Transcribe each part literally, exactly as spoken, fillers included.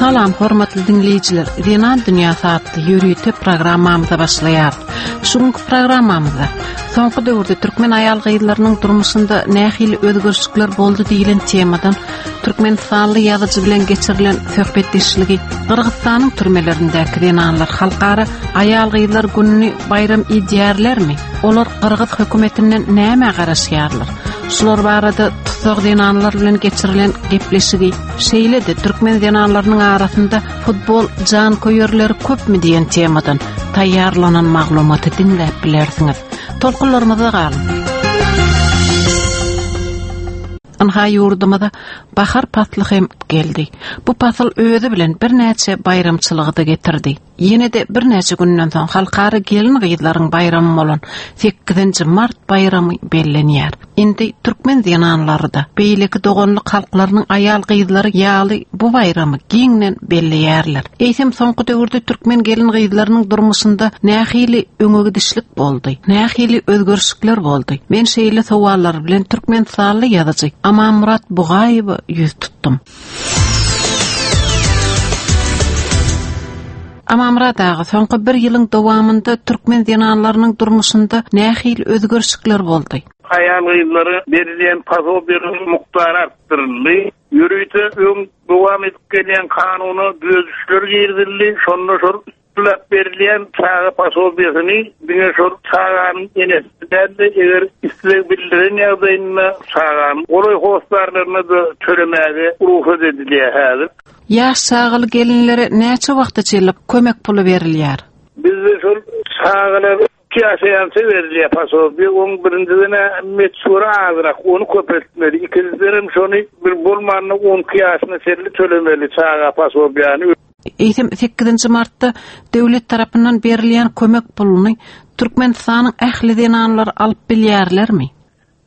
Salam hormatly dinleýjiler. Zenan dünýäsi atly ýörite programmamyza başlaýarys. Şu günkü programmamyzda soňky döwürde türkmen aýal gyzlarynyň durmuşynda nähili özgerişlikler boldy diýilen temadan Türkmenistanly ýazyjy bilen geçirilen söhbetdeşligi Gyrgyzystanyň türmelerindäki zenanlar halkara aýal gyzlar gününi baýram edýärlermi? Olar Gyrgyz hökümetinden näme garaşýarlar? Şular barada tussag zenanlar bilen geçirilen gepleşigi, şeýle-de türkmen zenanlarynyň arasynda futbol janköýerleri köpmi diýen temadan taýýarlanan maglumaty diňläp bilersiňiz. Tolkunlarymyzda galyň. Anha ýurdumyza bahar pasly hem geldi. Bu pasyl özi bilen birnäçe baýramçylygy da getirdi. Ýene-de birnäçe günden soň halkara gelin gyzlaryň baýramy bolan sekizinji mart baýramy bellenýär. Indi türkmen zenanlary da beýleki doganlyk halklarynyň aýal gyzlary ýaly bu baýramy giňden belleýärler. Eýsem soňky döwürde türkmen gelin gyzlarynyň durmuşynda nähili öňe gidişlik boldy? Nähili özgerişlikler boldy? Men şeýle sowallar bilen Türkmenistanly ýazyjy Amanmurat Bugaýewe ýüz tutdum. Amanmurat aga, soňky bir ýylyň dowamynda türkmen zenanlarynyň durmuşynda nähili özgerişlikler boldy? Aýal gyzlara berilýän posobiýalaryň mukdary artdyryldy. Ýörite öň dowam edip gelýän kanuna düzedişler girizildi. Şonda şol üstüläp berilýän çaga posobiýasyny diňe şol çaganyň enesi däl-de, eger isleg bildiren ýagdaýynda çaganyň golaý hossarlaryna da tölemäge rugsat edilýär häzir. Ýaş çagaly gelinlere näçe wagta çenli kömek puly berilýär? Bizde şol çagalar iki ýaşaýança berilýär posobiýa. Oň birinjiden meçhuri azrak, ony köpeltmeli. Ikinjiden hem şony bir bolmanda on iki ýaşyna çenli tölemeli çaga posobiýany. Eýsem sekizinji martda döwlet tarapyndan berilýän kömek puluny Türkmenistanyň ähli zenanlary alyp bilýärlermi?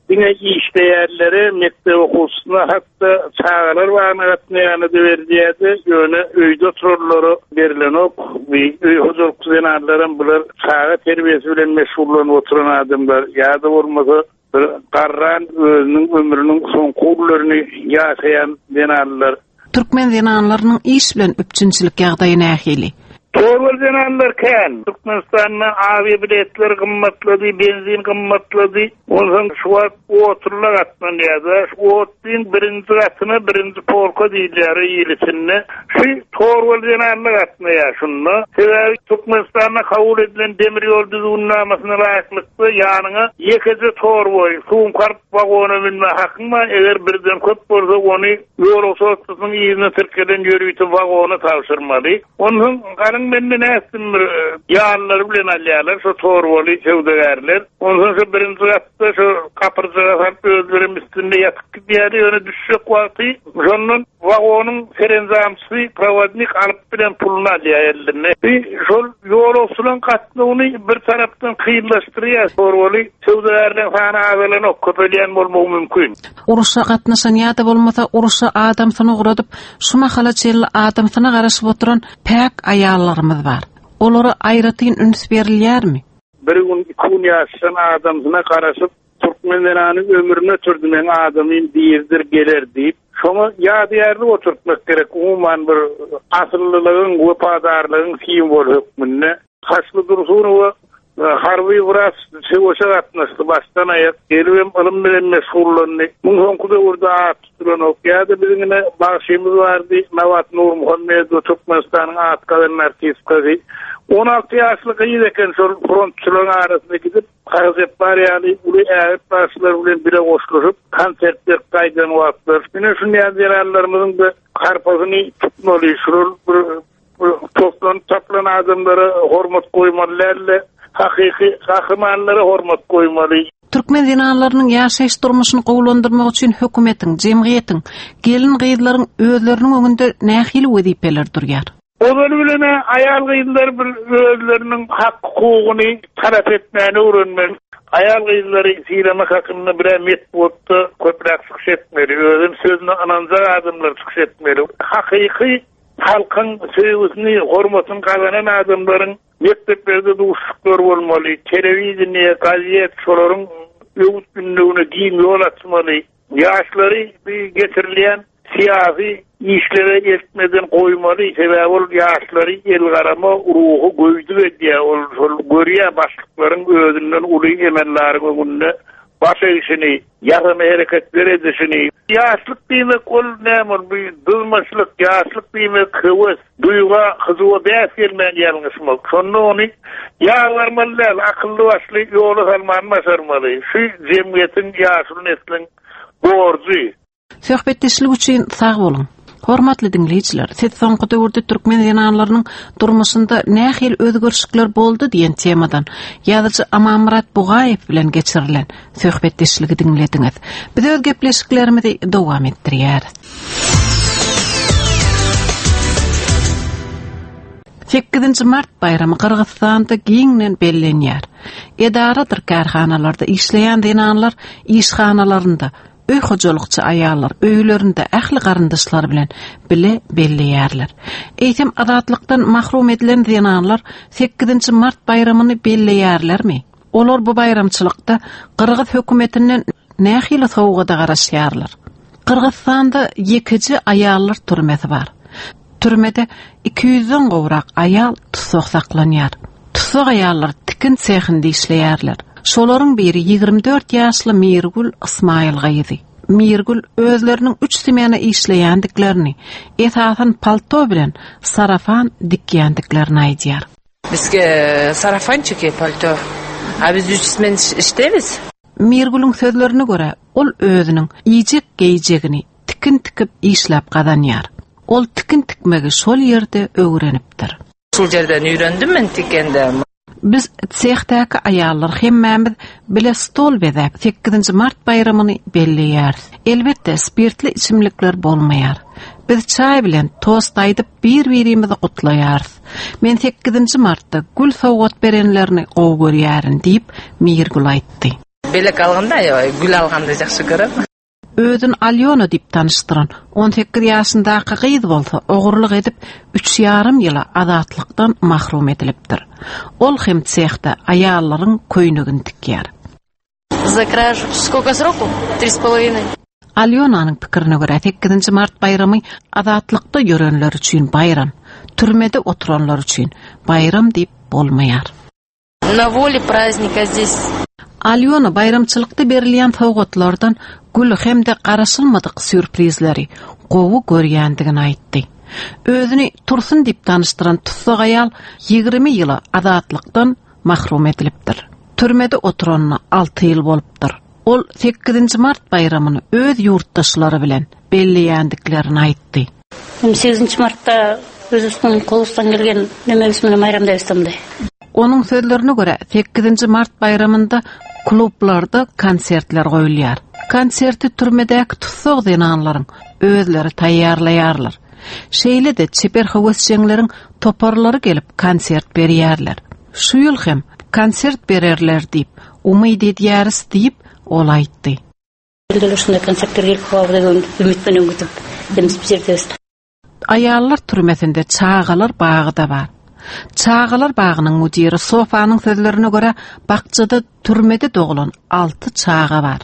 Diňe işleýärlere, mekdep okuwçysyna, hatda çagalar bagyna gatnaýana da berilýärdi, ýöne öýde oturanlara berilenok. Bir öý hojalyk zenanlaram bular çaga terbiýesi bilen meşgullanyp oturan adamlar ýa-da bolmasa bir garran özüniň ömrüniň soňky günlerini ýaşaýan zenanlar. Türkmen zenanlarynyň iş bilen üpjünçilik ýagdaýy nähili? Torbaly zenanlar kän. Türkmenistanda awiýa biletler gymmatlady, benzin gymmatlady. Ondan şu wagt otlular gatnanýar-da. Şu otluň birinji gatyna birinji polka diýilýär ýyl içinde. Şu torbaly zenanlar gatnaýar şunda. Sebäbi Türkmenistanda kabul edilen demir ýol düzgünnamasyna laýyklykda ýanyňa ýekeje torba, sumkar wagona münme hakyň bar. Eger birden köp bolsa ony ýolagçy otlusynyň ýerine tirkelen ýörite wagona tabşyrmaly. Ondan galyň mende nätdim bir, e, ýanlary bilen alýarlar şu torbaly söwdagärler. Ondan şu birinji gatda şu kapyrjyga salyp özlerem üstünde ýatyp gidýärdi. Ýöne düşjek wagty şondan wagonyň serenzamçysy provodnik alyp bilen puluny alýar eline. Bir şol ýolagçylaryň gatnawyny bir tarapdan kynlaşdyrýar. Torbaly söwdagärleň sany azalanok, köpelýän bolmagy mümkin. Uruşa gatnaşan ýa-da bolmasa uruşa adamsyny ugradyp, şu mahala çenli adamsyna garaşyp oturan päk aýallarymyz bar. Olara aýratyn üns berilýärmi? Bir gün iki gün ýaşan adamsyna garaşyp, türkmen zenany ömrüne türdi, men adamym diýirdir geler diýip, şoňa ýadygärlik oturtmak gerek. Umuman bir asyllylygyň, wepadarlygyň simwoly hökmünde. Haçly Dursunowa harby wraç söweşe gatnaşdy, başdan aýak gelip hem ylym bilen meşgullandy. Muň soňky döwürde at tutulanok. Ýa-da biziň ine bagşymyz bardy, Nabat Nurmuhammedow, Türkmenistanyň at gazanan artistkasy. On alty ýaşly gyz eken şol frontçylaryň arasyna gidip, Kagyzepbar ýaly uly ägirt bagşylar bilen bile goşulyp, konsert berip gaýdan wagtlar. Ine şunday zenanlarymyzyň da harpasyny tutmaly, şular bir, bir toplanyp tapylan adamlara hormat goýmaly däl-de, hakyky gahrymanlara hormat goýmaly. Türkmen zenanlarynyň ýaşaýyş durmuşyny gowulandyrmak üçin hökümetiň, jemgyýetiň, gelin gyzlaryň özleriniň öňünde nähili wezipeler durýar? Ozaly bilen aýal gyzlar bir özleriniň hak hukugyny talap etmäni öwrenmeli. Aýal gyzlary sylamak hakynda bir metbugatda köpräk çykyş etmeli. Özüm sözüne ynanjak adamlar çykyş etmeli. Hakyky halkyň söýgüsini, hormatyny gazanan adamlaryň mekdeplerde duşuşyklar bolmaly, telewideniýe, gazet şolaryň öwüt gündügine giň ýol açmaly. Ýaşlary bir getirilýän Syýasy işlere eltmeden goýmaly, sebäbi ol ýaşlary elgarama ruhy göýdük edýär, ol şol görýär başlyklaryň özünden uly emellaryň öňünde baş egişini, ýasama hereketler edişini. Ýaşlyk diýmek ol näme ol bir dyzmaçlyk, ýaşlyk diýmek höwes, duýga, hyzuwa bäs gelmän ýalňyşmak. Şonda ony ýalbarmaly däl, akylly başly ýola salmany başarmaly. Şu jemgyýetiň ýaşuly nesliň borjy. Söhbetdeşlik üçin sag boluň. Hormatly diňleýjiler, siz soňky döwürde türkmen zenanlarynyň durmuşynda nähili özgerişlikler boldy diýen temadan ýazyjy Amanmyrat Bugaýew bilen geçirilen söhbetdeşligi diňlediňiz. Biz öz gepleşiklerimizi dowam etdirýäris. Sekizinji mart baýramy Gyrgyzystanda giňden bellenýär. Edaradyr kärhanalarda işleýän zenanlar işhanalarynda, öý hojalykçy aýallar öýlerinde ähli garyndaşlar bilen bile belleýärler. Eýsem azatlykdan mahrum edilen zenanlar sekizinji mart baýramyny belleýärlermi? Olar bu baýramçylykda Gyrgyz hökümetinden nähili sowgada garaşýarlar? Gyrgyzystanda ýekeje aýallar türmesi bar. Türmede iki ýüzden gowrak aýal tussag saklanýar. Tussag aýallar tikin sehinde işleýärler. Şolaryň biri ýigrimi dört ýaşly Mirgül Ismail gyzy. Mirgül özleriniň üç smena işleýändiklerini, esasan palto bilen sarafan dikýändiklerini aýdýar. Bizge sarafançiki palto. A biz üç smen işleýäris. Mirgülüň sözlerine görä, ol özüniň iýjek geýjegini tikin tikip işläp gazanýar. Ol tikin tikmegi şol ýerde öwrenipdir. Şol ýerden öwrendim men tikende. Biz sehdäki aýallar hemmämiz bile stol bezäp sekizinji mart baýramyny belleýäris. Elbetde spirtli içimlikler bolmaýar. Biz çaý bilen tost aýdyp bir-birimizi gutlaýarys. Men sekizinji martda gül sowgat berenlerini gowy görýärin diýip Mirgül aýtdy. Belek alganda, gül alganda ýagşy görem. Özün Alyona diýip tanyşdyran on sekiz ýaşyndaky gyz bolsa ogurlyk edip üç ýarym ýyla azatlykdan mahrum edilipdir. Ol hem sehde aýallaryň köýnegini tikýär. За кражу. Сколько сроку? Три с половиной. Alyonanyň pikirine görä sekizinji mart baýramy azatlykda ýörenler üçin baýram, türmede oturanlar üçin baýram diýip bolmaýar. На воле праздника здесь. Alyona baýramçylykda berilýän sowgatlardan gül hem-de garaşylmadyk sýurprizleri gowy görýändigini aýtdy. Özüni Tursun diýip tanyşdyran tussag aýal ýigrimi ýyla azatlykdan mahrum edilipdir. Türmede oturanyna alty ýyl bolupdyr. Ol sekizinji mart baýramyny öz ýurtdaşlary bilen belleýändiklerini aýtdy. Hem sekizinji martda özübüzdün kolубуздан келген немебиз менен майрамдайбыз да мындай. Onuň sözlerine görä sekizinji mart baýramynda klublarda konsertler goýulýar. Konserti türmedäki tussag zenanlaryň özleri taýýarlaýarlar. Şeýle-de çeper höwesjeňleriň toparlary gelip konsert berýärler. Şu ýyl hem konsert bererler diýip umyt edýäris diýip ol aýtdy. Элдер ушундай концерттер келип калабы деген үмүт менен күтүп эмиз жердебиз. Aýallar türmesinde çagalar bagy da bar. Çagalar bagynyň müdiri Sofanyň sözlerine görä bakçada türmede doglan alty çaga bar.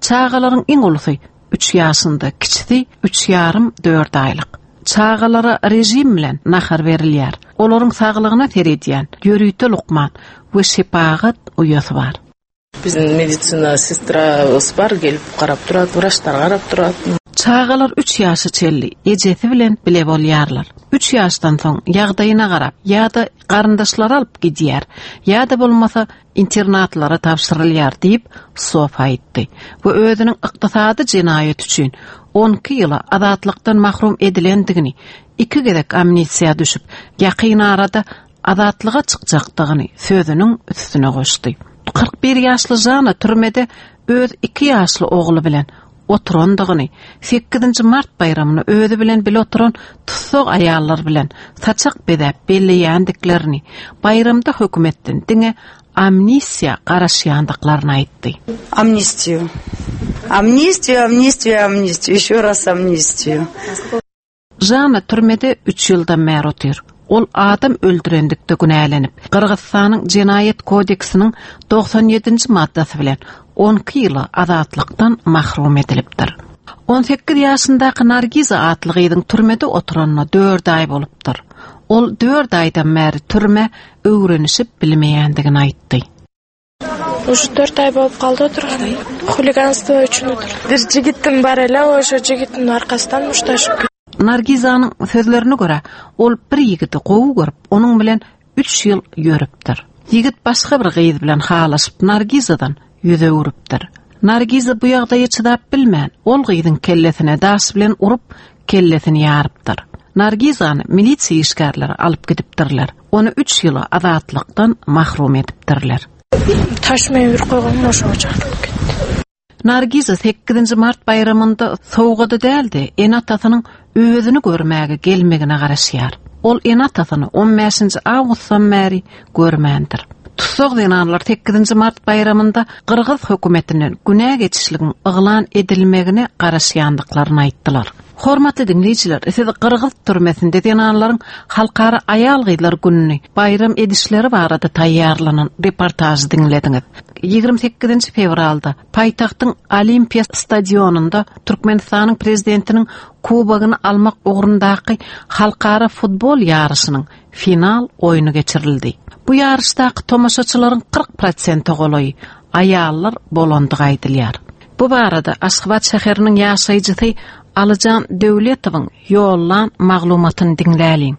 Çagalaryň iň ulusy üç ýaşynda, kiçisi üç ýarym dört aýlyk. Çagalara rejim bilen nahar berilýär. Olaryň saglygyna seredýän ýörite lukman we şepagat uýasy bar. Biziň medisina sestrasy bar, gelip garap durat, wraçlar garap durat. Çagalar üç ýaşa çenli ejesi bilen bile bolýarlar. Üç ýaşdan soň ýagdaýyna garap ýa-da garyndaşlary alyp gidýär, ýa-da bolmasa internatlara tabşyrylýar diýip Sofa aýtdy. We özüniň ykdysady jenaýat üçin on iki ýyla azatlykdan mahrum edilendigini, iki gezek amnistiýa düşüp, ýakyn arada azatlyga çykjakdygyny sözüniň üstüne goşdy. Kyrk bir ýaşly Jana türmede öz iki ýaşly ogly bilen oturandygyny, sekizinji mart baýramyny özi bilen bile oturan tussag aýallar bilen saçak bezäp belleýändiklerini, baýramda hökümetden diňe amnistiýa garaşýandyklaryny aýtdy. Amnistiýu. Amnistiýu, amnistiýu, amnistiýu. Еще раз amnistiýu. Jana türmede üç ýyldan bäri otyr. Ol adam öldürendikde günälenip, Gyrgyzystanyň Jenaýat kodeksiniň doksan ýedinji maddasy bilen on iki ýyla azatlykdan mahrum edilipdir. On sekiz ýaşyndaky Nargiza atly gyzyň türmede oturanyna dört aý bolupdyr. Ol dört aýdan bäri türme öwrenişip bilmeýändigini aýtdy. Уже төрт ай болуп калды отурганым. Хулиганство үчүн отурдум. Бир жигитим бар эле, ошо жигиттин аркасынан мушташып Nargizanyň sözlerine görä, ol bir ýigidi gowy görüp, onuň bilen üç ýyl ýörüpdir. Ýigit başga bir gyz bilen halaşyp Nargizadan ýüz öwrüpdir. Nargiza bu ýagdaýa çydap bilmän, ol gyzyň kellesine daş bilen urup, kellesini ýarypdyr. Nargizany milisiýa işgärleri alyp gidipdirler. Ony üç ýyla azatlykdan mahrum edipdirler. Taş менен уруп койгонмун, ошого чакырып кетти. Nargiza sekizinji mart baýramynda sowgada däldi, ene-atasynyň özüni görmäge gelmegine garaşýar. Ol ene-atasyny on bäşinji awgustdan bäri görmändir. Tussag zenanlar sekizinji mart baýramynda Gyrgyz hökümetinden günä geçişligiň yglan edilmegine garaşýandyklaryny aýtdylar. Hormatly diňleýjiler, siz Gyrgyz türmesinde zenanlaryň halkara aýal gyzlar gününi baýram edişleri barada taýýarlanan reportažy diňlediňiz. Ýigrimi sekizinji fewralda paýtagtyň Olimpiýa stadionynda Türkmenistanyň prezidentiniň kubogyny almak ugrundaky halkara futbol ýaryşynyň final oýny geçirildi. Bu ýaryşdaky tomaşaçylaryň kyrk prosente golaýy aýallar bolandygy aýdylýar. Bu barada Aşgabat şäheriniň ýaşaýjysy Alyjan Döwletowyň ýollan maglumatyny diňläliň.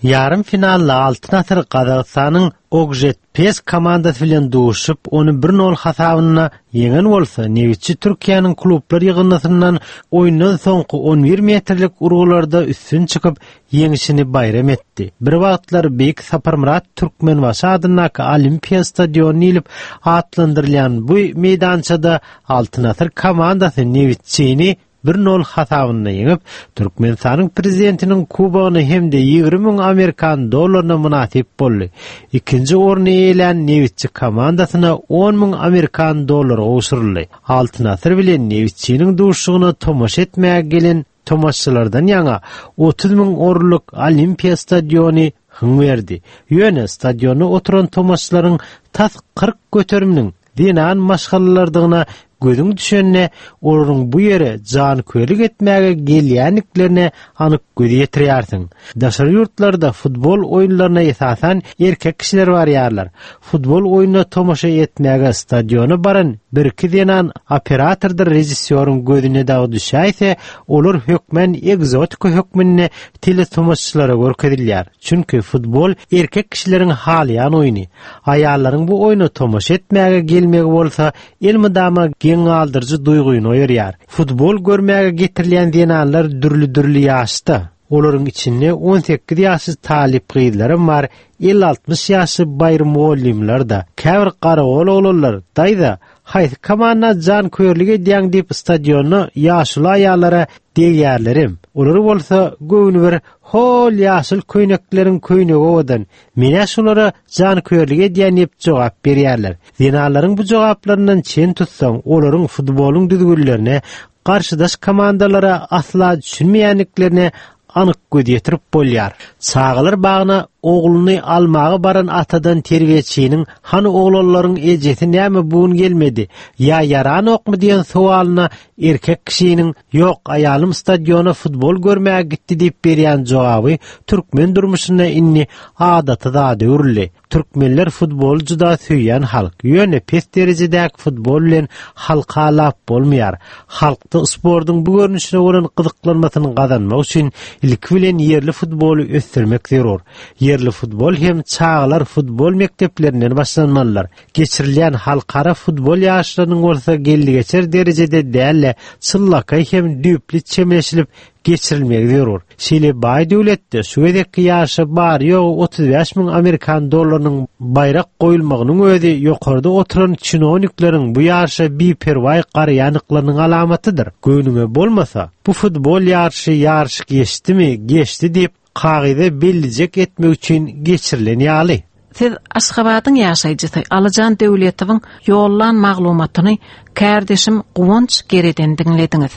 Ýarym finalda Altyn Asyr Gazagystanyň Okžetpes komandasy bilen duşup, ony bir nol hasabynda ýeňen bolsa, Nebitçi Türkiýäniň klublar ýygyndysyndan oýundan soňky on bir metrlik urgularda üstün çykyp, ýeňişini baýram etdi. Bir wagtlar Beýik Saparmyrat Türkmenbaşy adyndaky Olimpiýa stadiony diýlip atlandyrylýan bu meýdançada Altyn Asyr komandasy Nebitçini bir nol hasabynda ýeňip, Türkmenistanyň prezidentiniň kubogyny hem-de ýigrimi müň amerikan dollaryna mynasyp boldy. Ikinji orny eýelän Nebitçi komandasyna on müň amerikan dollary gowşuryldy. Altyn Asyr bilen Nebitçiniň duşuşygyna tomaşa etmäge gelen tomaşaçylardan ýaňa otuz müň orunlyk Olimpiýa stadiony hyň berdi. Ýöne stadionda oturan tomaşaçylaryň tas kyrk göteriminiň zenan maşgalalardygyna gözüň düşende, olaryň bu ýere janköýerlik etmäge gelýändiklerine anyk göz ýetirýärsiň. Daşary ýurtlarda futbol oýunlaryna esasan erkek kişiler barýarlar. Futbol oýnuna tomaşa etmäge stadiona baran bir iki zenan operatordyr rejissýoryň gözüne dagy düşäýse, olar hökmän egzotika hökmünde teletomaşaçylara görkezilýär. Çünki futbol erkek kişileriň halaýan oýny. Aýallaryň bu oýna tomaşa etmäge gelmegi bolsa elmydama geň galdyryjy duýgyny oýarýar. Futbol görmäge getirilýän zenanlar dürli-dürli ýaşda. Olaryň içinde on sekiz ýaşly talyp gyzlaram bar, elli altmyş ýaşly baýry mugallymlar da. Käbir garagol oglanlar, daýza, haýsy komanda janköýerlik edýäň diýip stadionda ýaşuly aýallara degýärlerim. Olary bolsa göwni bir hol ýaşyl köýnekleriň köýnegi owadan. Menä şolara janköýerlik edýän diýip jogap berýärler. Zenanlaryň bu jogaplaryndan çen tutsaň, olaryň futbolyň düzgünlerine, garşydaş komandalara asla düşünmeýändiklerine anyk göz ýetirip bolýar. Çagalar bagyna ogluny almaga baran atadan terbiýeçiniň hany oglanlaryň ejesi näme bu gün gelmedi, ýa ýaranokmy diýen sowalyna erkek kişiniň ýok aýalym stadiona futbol görmäge gitdi diýip berýän jogaby türkmen durmuşynda indi adaty zada öwrüldi. Türkmenler futbol juda söýýän halk. Ýöne pes derejedäki futbol bilen halka lap bolmaýar. Halkda sportuň bu görnüşine bolan gyzyklanmasyny gazanmak üçin ilki bilen ýerli futboly ösdürmek zerur. Ýerli futbol hem çagalar futbol mekdeplerinden başlanmalylar. Geçirilýän halkara futbol ýaryşlarynyň bolsa geldi geçer derejede däl-de, çyllakaý hem düýpli çemeleşilip geçirilmegi zerur. Şeýle baý döwletde şu gezekki ýaryşa bar ýogy otuz bäş müň amerikan dollarynyň baýrak goýulmagynyň özi ýokarda oturan çinownikleriň bu ýaryşa biperwaý garaýandyklarynyň alamatydyr. Göwnüňe bolmasa, bu futbol ýaryşy ýaryş geçdimi, geçdi diýip kagyza bellijek etmek üçin geçirilen ýaly. Siz Aşgabadyň ýaşaýjysy Alyjan Döwletowyň ýollan maglumatyny kärdeşim Guwanç Gereden diňlediňiz.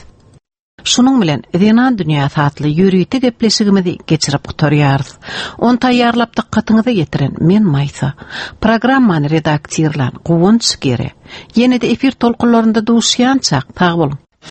Şunuň bilen Zenan dünýäsi atly ýörite gepleşigimizi geçirip gutarýarys. On taýýarlap dykgatyňyza ýetiren men Maýsa. Programmany redaktirlan Guwanç Gere. Ýene-de efir tolkunlarynda duşýançak sag boluň.